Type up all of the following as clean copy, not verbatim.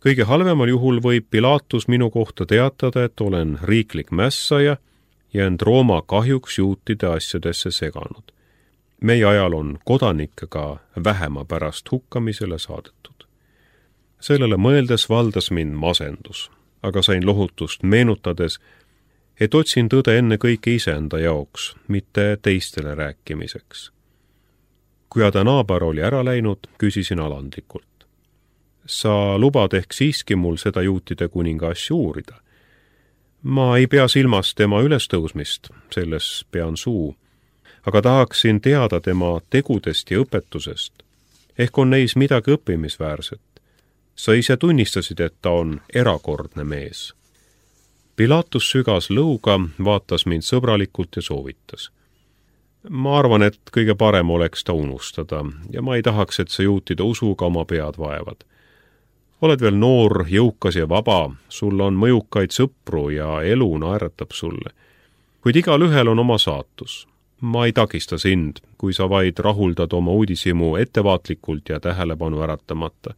Kõige halvemal juhul võib Pilatus minu kohta teatada, et olen riiklik mässaja ja end Rooma kahjuks juutide asjadesse seganud. Meie ajal on kodanikke ka vähema pärast hukkamisele saadetud. Sellele mõeldes valdas mind masendus, aga sain lohutust meenutades, et otsin tõde enne kõike iseenda jaoks, mitte teistele rääkimiseks. Kui Ada naaber oli ära läinud, küsisin alandlikult. Sa lubad ehk siiski mul seda juutide kuninga asju uurida? Ma ei pea silmas tema ülestõusmist, selles pean suu, aga tahaksin teada tema tegudest ja õpetusest. Ehk on neis midagi õppimisväärset. Sa ise tunnistasid, et ta on erakordne mees. Pilatus sügas lõuga, vaatas mind sõbralikult ja soovitas. Ma arvan, et kõige parem oleks ta unustada ja ma ei tahaks, et sa juutide usuga oma pead vaevad. Oled veel noor, jõukas ja vaba, sul on mõjukaid sõpru ja elu naeratab sulle. Kuid igal ühel on oma saatus. Ma ei takista sind, kui sa vaid rahuldad oma uudishimu ettevaatlikult ja tähelepanu äratamata.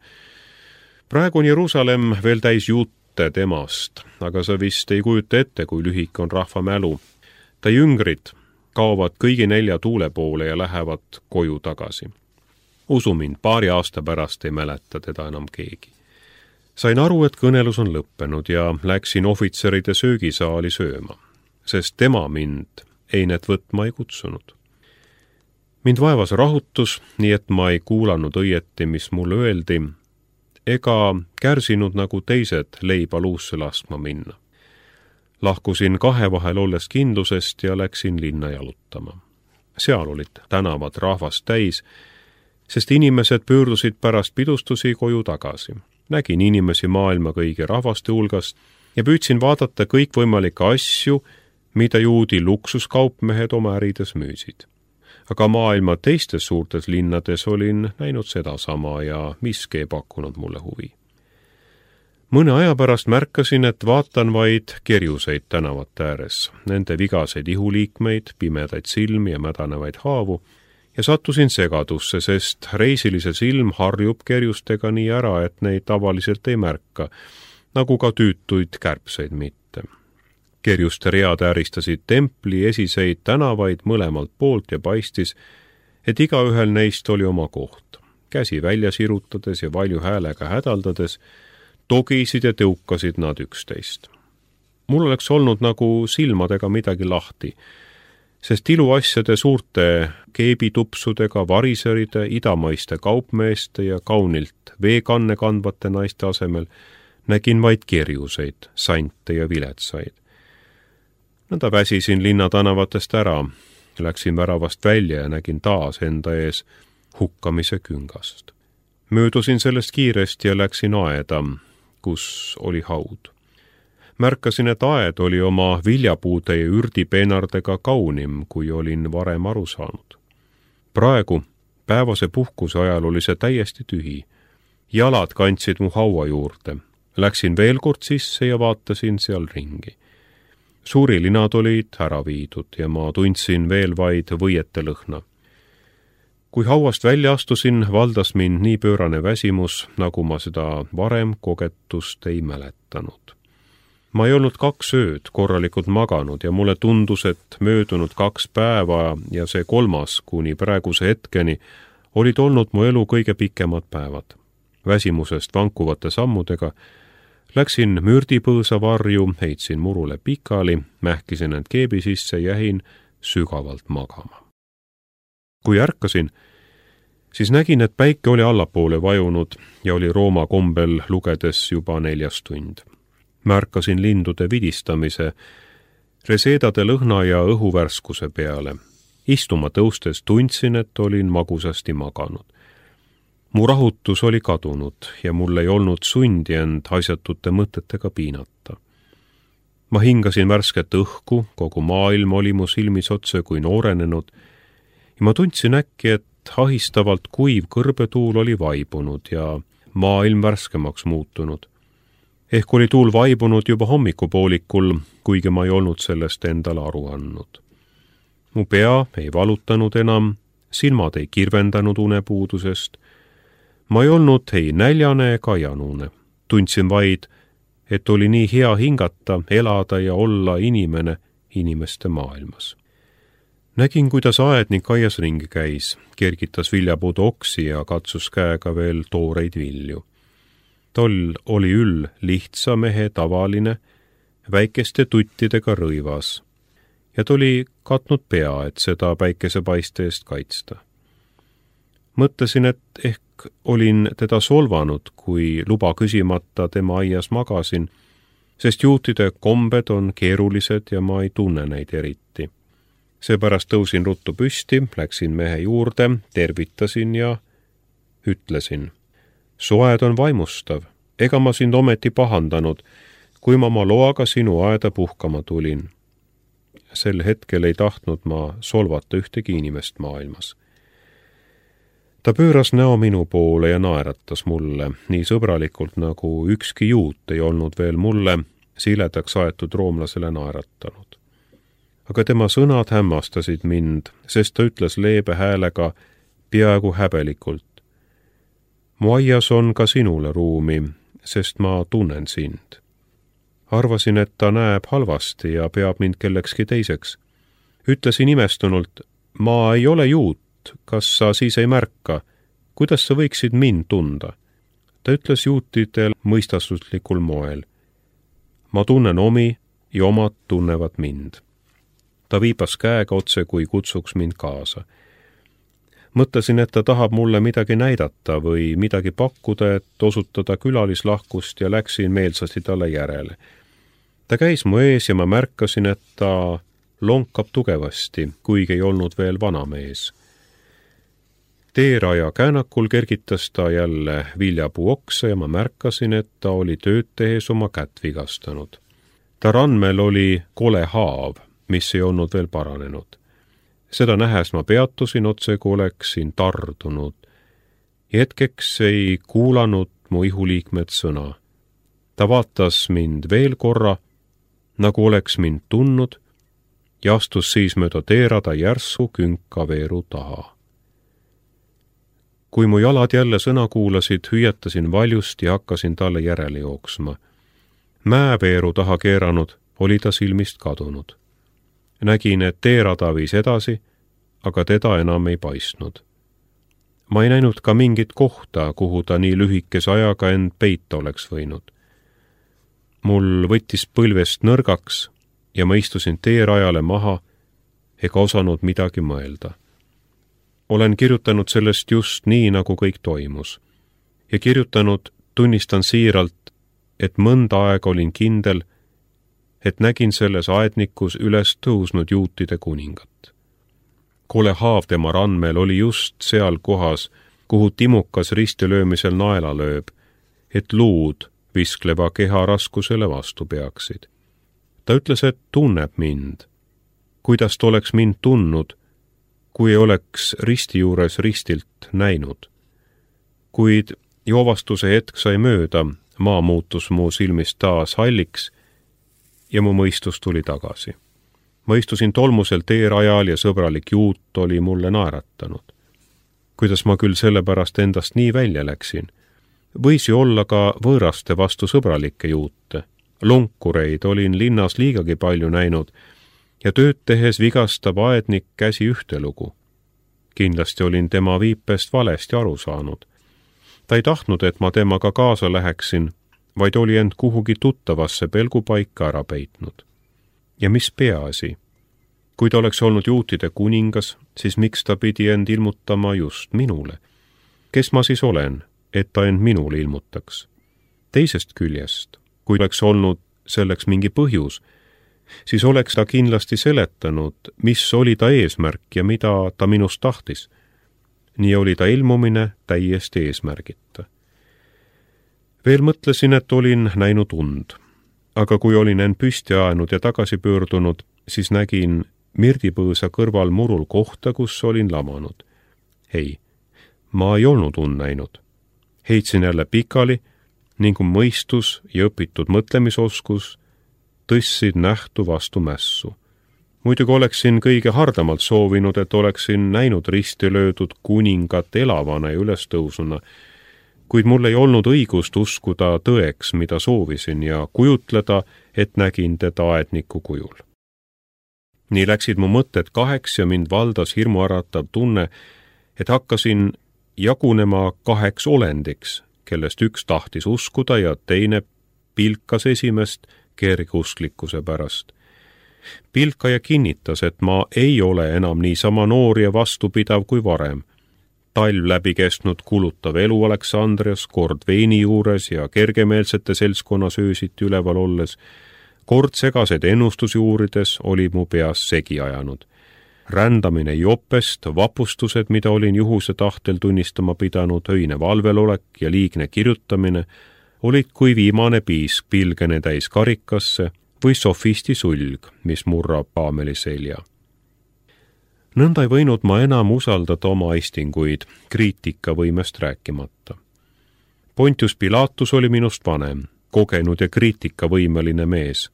Praegu on Jeruusalemm veel täis juute temast, aga sa vist ei kujuta ette, kui lühik on rahva mälu. Ta jüngrid kaovad kõigi 4 tuule poole ja lähevad koju tagasi. Usu mind, 2 aasta pärast ei mäleta teda enam keegi. Sain aru, et kõnelus on lõppenud ja läksin ohvitseride söögisaali sööma, sest tema mind einet võtma ei kutsunud. Mind vaevas rahutus, nii et ma ei kuulanud õieti, mis mulle öeldi, ega kärsinud nagu teised leiba luusse laskma minna. Lahkusin 2 vahel olles kindlusest ja läksin linna jalutama. Seal olid tänavad rahvast täis, sest inimesed pöördusid pärast pidustusi koju tagasi. Nägin inimesi maailma kõigi rahvaste hulgast ja püüdsin vaadata kõikvõimalikke asju, mida juudi luksuskaupmehed oma ärides müüsid. Aga maailma teistes suurtes linnades olin näinud sedasama ja miski ei pakkunud mulle huvi. Mõne aja pärast märkasin, et vaatan vaid kerjuseid tänavate ääres, nende vigaseid ihuliikmeid, pimedaid silmi ja mädanevaid haavu, ja sattusin segadusse, sest reisilise silm harjub kerjustega nii ära, et neid tavaliselt ei märka, nagu ka tüütuid kärbseid mitte. Kerjuste read ääristasid templi esiseid tänavaid mõlemalt poolt ja paistis, et igaühel neist oli oma koht. Käsi välja sirutades ja valju häälega hädaldades, togisid ja tõukasid nad üksteist. Mul oleks olnud nagu silmadega midagi lahti, sest iluasjade suurte keebitupsudega, variseride, idamaiste kaupmeeste ja kaunilt veekanne kandvate naiste asemel nägin vaid kerjuseid, sante ja viletsaid. Nõnda väsisin linnatanavatest ära, läksin väravast välja ja nägin taas enda ees hukkamise küngast. Möödusin sellest kiiresti ja läksin aeda, kus oli haud. Märkasin, et aed oli oma viljapuude ja ürdipeenardega kaunim, kui olin varem aru saanud. Praegu, päevase puhkuse ajal oli see täiesti tühi. Jalad kandsid mu haua juurde. Läksin veel kord sisse ja vaatasin seal ringi. Suurilinad olid ära viidud ja ma tundsin veel vaid võiete lõhna. Kui hauast välja astusin, valdas mind nii pöörane väsimus, nagu ma seda varem kogetust ei mäletanud. Ma ei olnud 2 ööd korralikult maganud ja mulle tundus, et möödunud 2 päeva ja see 3. kuni praeguse hetkeni olid olnud mu elu kõige pikemad päevad. Väsimusest vankuvate sammudega läksin mürdipõõsa varju, heitsin murule pikali, mähkisin end keebi sisse ja jäin sügavalt magama. Kui ärkasin, siis nägin, et päike oli allapoole vajunud ja oli Rooma kombel lugedes juba 4. tund. Märkasin lindude vidistamise, reseedade lõhna ja õhuvärskuse peale. Istuma tõustes tundsin, et olin magusasti maganud. Mu rahutus oli kadunud ja mul ei olnud sundi end asjatute mõtetega piinata. Ma hingasin värsket õhku, kogu maailm oli mu silmis otse kui noorenenud ja ma tundsin äkki, et ahistavalt kuiv kõrbetuul oli vaibunud ja maailm värskemaks muutunud. Ehk oli tuul vaibunud juba hommikupoolikul, kuigi ma ei olnud sellest endale aru andnud. Mu pea ei valutanud enam, silmad ei kirvendanud unepuudusest. Ma ei olnud ei näljane ega janune. tundsin vaid, et oli nii hea hingata, elada ja olla inimene inimeste maailmas. Nägin, kuidas aednik aias ringi käis, kergitas viljapuude oksi ja katsus käega veel tooreid vilju. Tol oli üll lihtsa mehe tavaline, väikeste tuttidega rõivas ja ta oli katnud pea, et seda päikesepaiste eest kaitsta. Mõtlesin, et ehk olin teda solvanud, kui luba küsimata tema aias magasin, sest juutide kombed on keerulised ja ma ei tunne neid eriti. Seepärast tõusin ruttu püsti, läksin mehe juurde, tervitasin ja ütlesin: "Su aed on vaimustav, ega ma sind ometi pahandanud, kui ma oma loaga sinu aeda puhkama tulin." Sel hetkel ei tahtnud ma solvata ühtegi inimest maailmas. Ta pööras näo minu poole ja naeratas mulle, nii sõbralikult nagu ükski juut ei olnud veel mulle, siledaks aetud roomlasele naeratanud. Aga tema sõnad hämmastasid mind, sest ta ütles leebe häälega, peaaegu häbelikult: "Mu aias on ka sinule ruumi, sest ma tunnen sind." Arvasin, et ta näeb halvasti ja peab mind kellekski teiseks. Ütlesin imestunult: "Ma ei ole juut, kas sa siis ei märka? Kuidas sa võiksid mind tunda?" Ta ütles juutidel mõistuslikul moel: "Ma tunnen omi ja omad tunnevad mind." Ta viipas käega otse, kui kutsuks mind kaasa. Mõtlesin, et ta tahab mulle midagi näidata või midagi pakkuda, et osutada külalislahkust ja läksin meelsasti talle järele. Ta käis mu ees ja ma märkasin, et ta lonkab tugevasti, kuigi ei olnud veel vana mees. Teeraja käänakul kergitas ta jälle viljapuu oksa ja ma märkasin, et ta oli tööd tehes oma kätt vigastanud. Ta randmel oli kole haav, mis ei olnud veel paranenud. Seda nähes ma peatusin otse, kui oleksin tardunud. Hetkeks ei kuulanud mu ihuliikmed sõna. Ta vaatas mind veel korra, nagu oleks mind tundnud, ja astus siis mööda teerada järsku künkaveeru taha. Kui mu jalad jälle sõna kuulasid, hüüatasin valjust ja hakkasin talle järele jooksma. Mäeveeru taha keeranud oli ta silmist kadunud. Nägin, et teerada viis edasi, aga teda enam ei paistnud. Ma ei näinud ka mingit kohta, kuhu ta nii lühikese ajaga end peita oleks võinud. Mul võttis põlvest nõrgaks ja ma istusin teerajale maha ega osanud midagi mõelda. Olen kirjutanud sellest just nii, nagu kõik toimus. Ja kirjutanud tunnistan siiralt, et mõnda aega olin kindel, et nägin selles aednikus üles tõusnud juutide kuningat. Kole haav tema randmel oli just seal kohas, kuhu timukas ristilöömisel naela lööb, et luud viskleva keha raskusele vastu peaksid. Ta ütles, et tunneb mind. Kuidas ta oleks mind tundnud, kui ei oleks risti juures ristilt näinud. Kuid joovastuse hetk sai mööda, maa muutus mu silmist taas halliks ja mu mõistus tuli tagasi. Ma istusin tolmusel teerajal ja sõbralik juut oli mulle naeratanud. Kuidas ma küll sellepärast endast nii välja läksin? Võis ju olla ka võõraste vastu sõbralikke juute. Lonkureid olin linnas liigagi palju näinud ja tööd tehes vigastab aednik käsi ühtelugu. Kindlasti olin tema viipest valesti aru saanud. Ta ei tahtnud, et ma temaga kaasa läheksin, vaid oli end kuhugi tuttavasse pelgupaika ära peitnud. Ja mis peaasi? Kui ta oleks olnud juutide kuningas, siis miks ta pidi end ilmutama just minule? Kes ma siis olen, et ta end minule ilmutaks? Teisest küljest, kui oleks olnud selleks mingi põhjus, siis oleks ta kindlasti seletanud, mis oli ta eesmärk ja mida ta minust tahtis. Nii oli ta ilmumine täiesti eesmärgita. Veel mõtlesin, et olin näinud und, aga kui olin end püsti ajanud ja tagasi pöördunud, siis nägin mirdipõõsa kõrval murul kohta, kus olin lamanud. Ei, ma ei olnud und näinud. Heitsin jälle pikali ning mõistus ja õpitud mõtlemisoskus tõssid nähtu vastu mässu. Muidugi oleksin kõige hardamalt soovinud, et oleksin näinud risti löödud kuningat elavana ja ülestõusuna, kuid mul ei olnud õigust uskuda tõeks, mida soovisin, ja kujutleda, et nägin teda aedniku kujul. Nii läksid mu mõtted kaheks ja mind valdas hirmuäratav tunne, et hakkasin jagunema kaheks olendiks, kellest üks tahtis uskuda ja teine pilkas esimest kergeusklikkuse pärast. Pilkaja kinnitas, et ma ei ole enam niisama noor ja vastupidav kui varem. Talv läbi kestnud kulutav elu Aleksandrias, kord veini juures ja kergemeelsete seltskonnas öösiti üleval olles, kord segased ennustusi uurides oli mu peas segi ajanud. Rändamine jopest, vapustused, mida olin juhuse tahtel tunnistama pidanud, öine valvelolek ja liigne kirjutamine, olid kui viimane piisk pilgene täis karikasse või sofisti sulg, mis murrab paameli selja. Nõnda ei võinud ma enam usaldada oma istinguid, kriitikavõimest rääkimata. Pontius Pilatus oli minust vanem, kogenud ja kriitikavõimeline mees.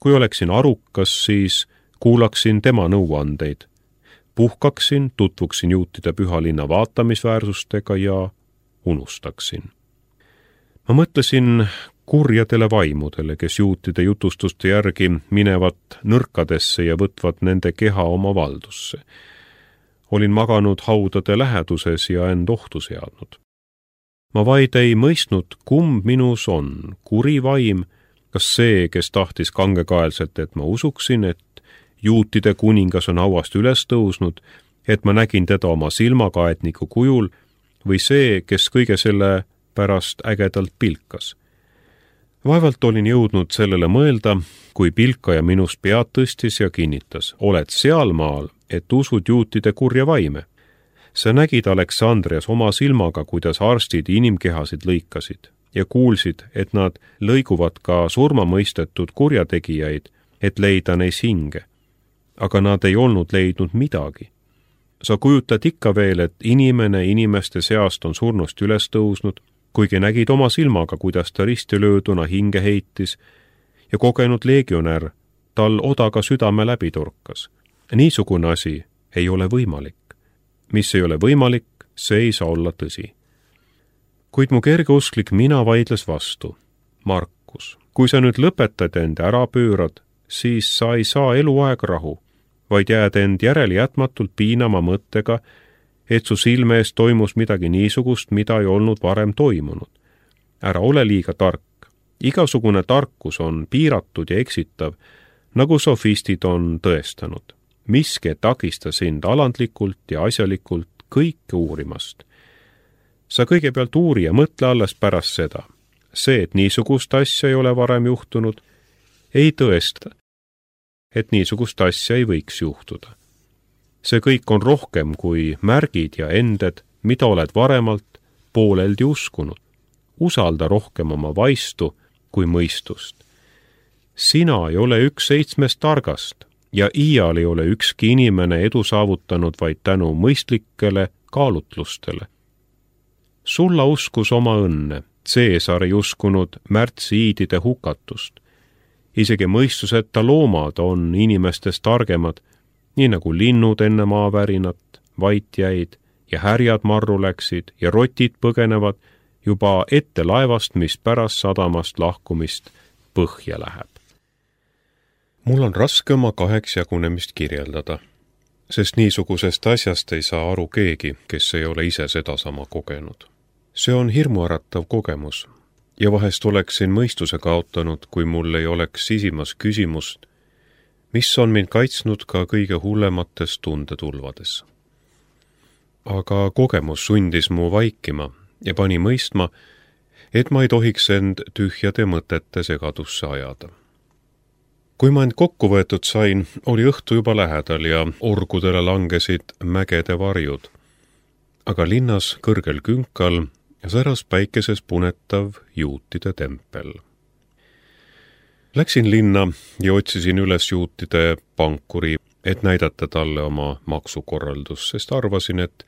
Kui oleksin arukas, siis kuulaksin tema nõuandeid. Puhkaksin, tutvuksin juutide püha linna vaatamisväärsustega ja unustaksin. Ma mõtlesin kurjadele vaimudele, kes juutide jutustuste järgi minevad nõrkadesse ja võtvad nende keha oma valdusse. Olin maganud haudade läheduses ja end ohtu seadnud. Ma vaid ei mõistnud, kumb minus on, kuri vaim, kas see, kes tahtis kangekaelselt, et ma usuksin, et juutide kuningas on hauast üles tõusnud, et ma nägin teda oma silmaga aedniku kujul, või see, kes kõige selle pärast ägedalt pilkas. Vaevalt olin jõudnud sellele mõelda, kui pilkaja minust pead tõstis ja kinnitas, oled sealmaal, et usud juutide kurja vaime. Sa nägid Aleksandrias oma silmaga, kuidas arstid inimkehasid lõikasid ja kuulsid, et nad lõiguvad ka surmamõistetud kurjategijaid, et leida neis hinge. Aga nad ei olnud leidnud midagi. Sa kujutad ikka veel, et inimene inimeste seast on surnust üles tõusnud, kuigi nägid oma silmaga, kuidas ta ristilööduna hinge heitis ja kogenud legionär tal odaga südame läbi torkas. Niisugune asi ei ole võimalik. Mis ei ole võimalik, see ei saa olla tõsi. Kuid mu kergeusklik mina vaidles vastu. Markus, kui sa nüüd lõpetad end ära pöörad, siis sa ei saa eluaeg rahu, vaid jääd end järeljätmatult piinama mõttega, et su silme ees toimus midagi niisugust, mida ei olnud varem toimunud. Ära ole liiga tark. Igasugune tarkus on piiratud ja eksitav, nagu sofistid on tõestanud. Miski takista sind alandlikult ja asjalikult kõike uurimast. Sa kõigepealt uuri ja mõtle alles pärast seda. See, et niisugust asja ei ole varem juhtunud, ei tõesta, et niisugust asja ei võiks juhtuda. See kõik on rohkem kui märgid ja ended, mida oled varemalt pooleldi uskunud. Usalda rohkem oma vaistu kui mõistust. Sina ei ole üks 7 targast ja iial ei ole ükski inimene edu saavutanud vaid tänu mõistlikele kaalutlustele. Sulla uskus oma õnne, Caesar ei uskunud märtsiidide hukatust. Isegi mõistuseta loomad on inimestest targemad, nii nagu linnud enne maavärinat, vait jäid ja härjad marru läksid ja rotid põgenevad juba ette laevast, mis pärast sadamast lahkumist põhja läheb. Mul on raske oma kaheks jagunemist kirjeldada, sest niisugusest asjast ei saa aru keegi, kes ei ole ise sedasama kogenud. See on hirmuäratav kogemus ja vahest oleksin mõistuse kaotanud, kui mul ei oleks sisimas küsimust, mis on mind kaitsnud ka kõige hullemates tundetulvades. Aga kogemus sundis mu vaikima ja pani mõistma, et ma ei tohiks end tühjade mõtete segadusse ajada. Kui ma end kokku võetud sain, oli õhtu juba lähedal ja orgudele langesid mägede varjud. Aga linnas kõrgel künkal säras päikeses punetav juutide tempel. Läksin linna ja otsisin üles juutide pankuri, et näidata talle oma maksukorraldus, sest arvasin, et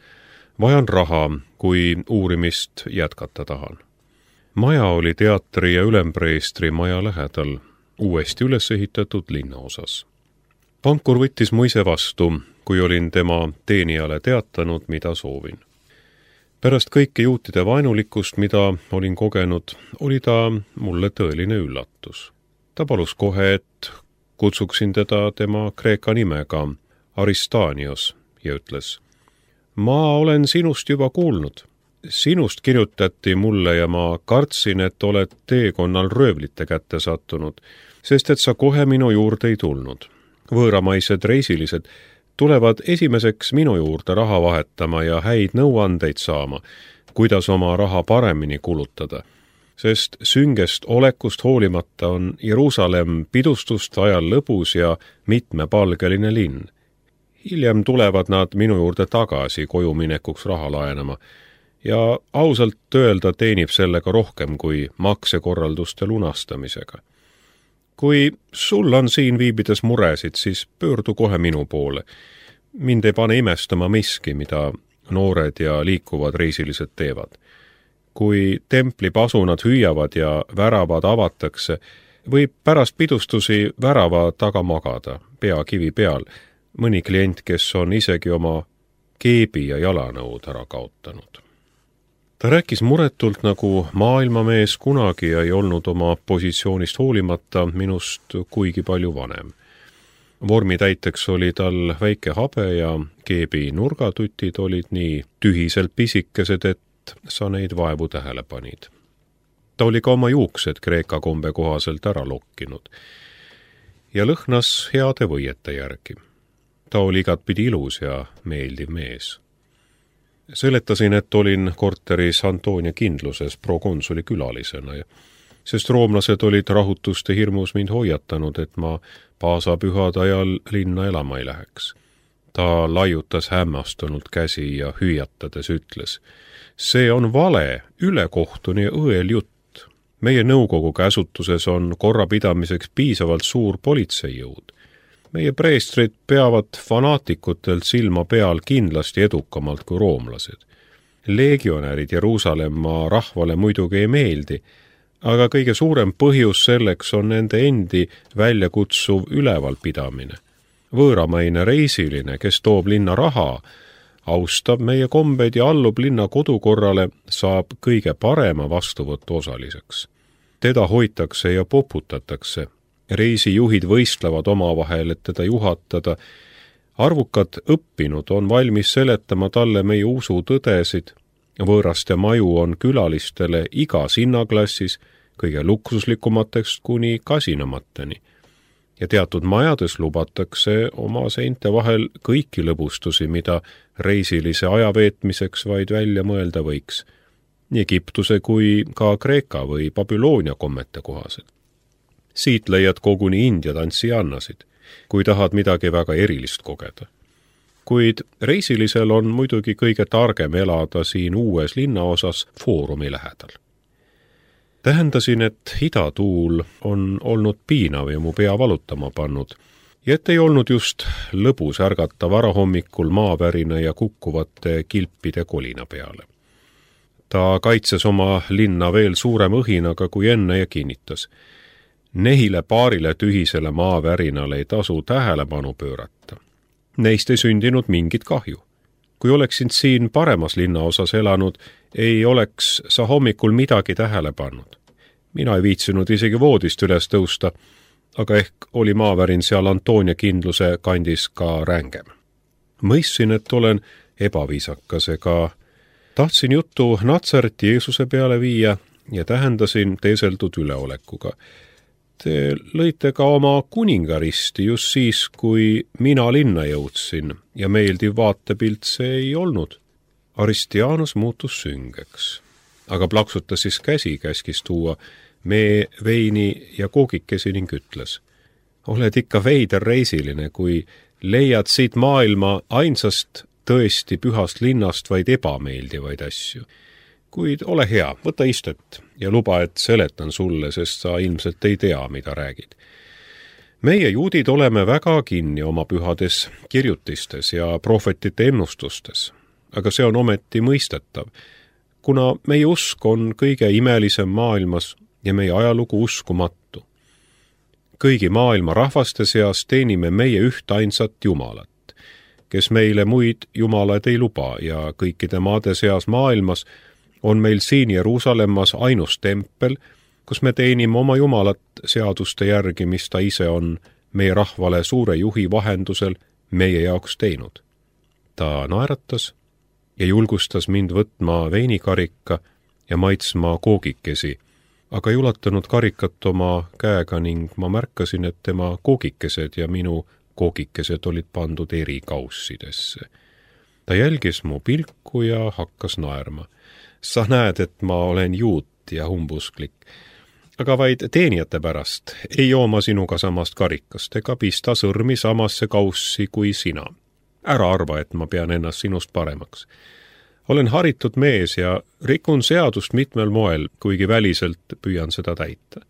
vajan raha, kui uurimist jätkata tahan. Maja oli teatri ja ülempreestri maja lähedal, uuesti üles ehitatud linnaosas. Pankur võttis mu ise vastu, kui olin tema teenijale teatanud, mida soovin. Pärast kõike juutide vaenulikkust, mida olin kogenud, oli ta mulle tõeline üllatus. Ta palus kohe, et kutsuksin teda tema kreeka nimega Aristanios ja ütles: ma olen sinust juba kuulnud. Sinust kirjutati mulle ja ma kartsin, et oled teekonnal röövlite kätte sattunud, sest et sa kohe minu juurde ei tulnud. Võõramaised reisilised tulevad esimeseks minu juurde raha vahetama ja häid nõuandeid saama, kuidas oma raha paremini kulutada. Sest süngest olekust hoolimata on Jeruusalemm pidustuste ajal lõbus ja mitmepalgeline linn. Hiljem tulevad nad minu juurde tagasi koju minekuks raha laenama ja ausalt öelda teenib sellega rohkem kui maksekorralduste lunastamisega. Kui sul on siin viibides muresid, siis pöördu kohe minu poole. Mind ei pane imestama miski, mida noored ja liikuvad reisilised teevad. Kui templi pasunad hüüavad ja väravad avatakse, võib pärast pidustusi värava taga magada, pea kivi peal, mõni klient, kes on isegi oma keebi ja jalanõud ära kaotanud. Ta rääkis muretult nagu maailmamees kunagi ja ei olnud oma positsioonist hoolimata minust kuigi palju vanem. Vormitäiteks oli tal väike habe ja keebi nurgatutid olid nii tühiselt pisikesed, et sa neid vaevu tähele panid. Ta oli ka oma juuksed kreeka kombe kohaselt ära lokkinud ja lõhnas heade võiete järgi. Ta oli igatpidi ilus ja meeldiv mees. Seletasin, et olin korteris Antonia kindluses prokonsuli külalisena, sest roomlased olid rahutuste hirmus mind hoiatanud, et ma paasapühade ajal linna elama ei läheks. Ta laiutas hämmastunult käsi ja hüüatades ütles: see on vale, ülekohtune ja õel jutt. Meie nõukogu käsutuses on korrapidamiseks piisavalt suur politseijõud. Meie preestrid peavad fanaatikutelt silma peal kindlasti edukamalt kui roomlased. Legionärid Jeruusalemma rahvale muidugi ei meeldi, aga kõige suurem põhjus selleks on nende endi väljakutsuv ülevalpidamine. Võõramaine reisiline, kes toob linna raha, austab meie kombeid ja allub linna kodukorrale, saab kõige parema vastuvõtu osaliseks. Teda hoitakse ja poputatakse. Reisijuhid võistlevad omavahel, et teda juhatada. Arvukad õppinud on valmis seletama talle meie usu tõdesid. Võõraste maju on külalistele igas hinnaklassis, kõige luksuslikumatest kuni kasinamateni. Ja teatud majades lubatakse oma seinte vahel kõiki lõbustusi, mida reisilise ajaveetmiseks vaid välja mõelda võiks. Nii Egiptuse kui ka Kreeka või Babyloonia kommete kohaselt. Siit leiad koguni India tantsiannasid, kui tahad midagi väga erilist kogeda. Kuid reisilisel on muidugi kõige targem elada siin uues linnaosas Foorumi lähedal. Tähendasin, et idatuul on olnud piinav ja mu pea valutama pannud, ja et ei olnud just lõbus ärgata varahommikul maavärina ja kukkuvate kilpide kolina peale. Ta kaitses oma linna veel suurem õhinaga kui enne ja kinnitas: nehile paarile tühisele maavärinale ei tasu tähelepanu pöörata. Neist ei sündinud mingit kahju. Kui oleksin siin paremas linnaosas elanud, ei oleks sa hommikul midagi tähele pannud. Mina ei viitsinud isegi voodist üles tõusta, aga ehk oli maavärin seal Antonia kindluse kandis ka rängem. Mõistsin, et olen ebaviisakas ega tahtsin juttu Natsareti Jeesuse peale viia ja tähendasin teeseldud üleolekuga. Te lõite ka oma kuningaristi just siis, kui mina linna jõudsin ja meeldiv vaatepilt see ei olnud. Aristianus muutus süngeks, aga plaksutas siis käsi, käskis tuua mee, veini ja koogikesi ning ütles: oled ikka veider reisiline, kui leiad siit maailma ainsast tõesti pühast linnast vaid ebameeldivaid asju. Kuid ole hea, võta istet ja luba, et seletan sulle, sest sa ilmselt ei tea, mida räägid. Meie juudid oleme väga kinni oma pühades kirjutistes ja prohvetite ennustustes, aga see on ometi mõistetav, kuna meie usk on kõige imelisem maailmas ja meie ajalugu uskumatu. Kõigi maailma rahvaste seas teenime meie üht ainsat Jumalat, kes meile muid jumalaid ei luba ja kõikide maade seas maailmas on meil siin Jeruusalemmas ainus tempel, kus me teenime oma Jumalat seaduste järgi, mis ta ise on meie rahvale suure juhi vahendusel meie jaoks teinud. Ta naeratas ja julgustas mind võtma veinikarika ja maitsma koogikesi, aga ei ulatanud karikat oma käega ning ma märkasin, et tema koogikesed ja minu koogikesed olid pandud eri kaussidesse. Ta jälgis mu pilku ja hakkas naerma. Sa näed, et ma olen juut ja humbusklik, aga vaid teenijate pärast ei joo ma sinuga samast karikast ega pista sõrmi samasse kaussi kui sina. Ära arva, et ma pean ennast sinust paremaks. Olen haritud mees ja rikun seadust mitmel moel, kuigi väliselt püüan seda täita.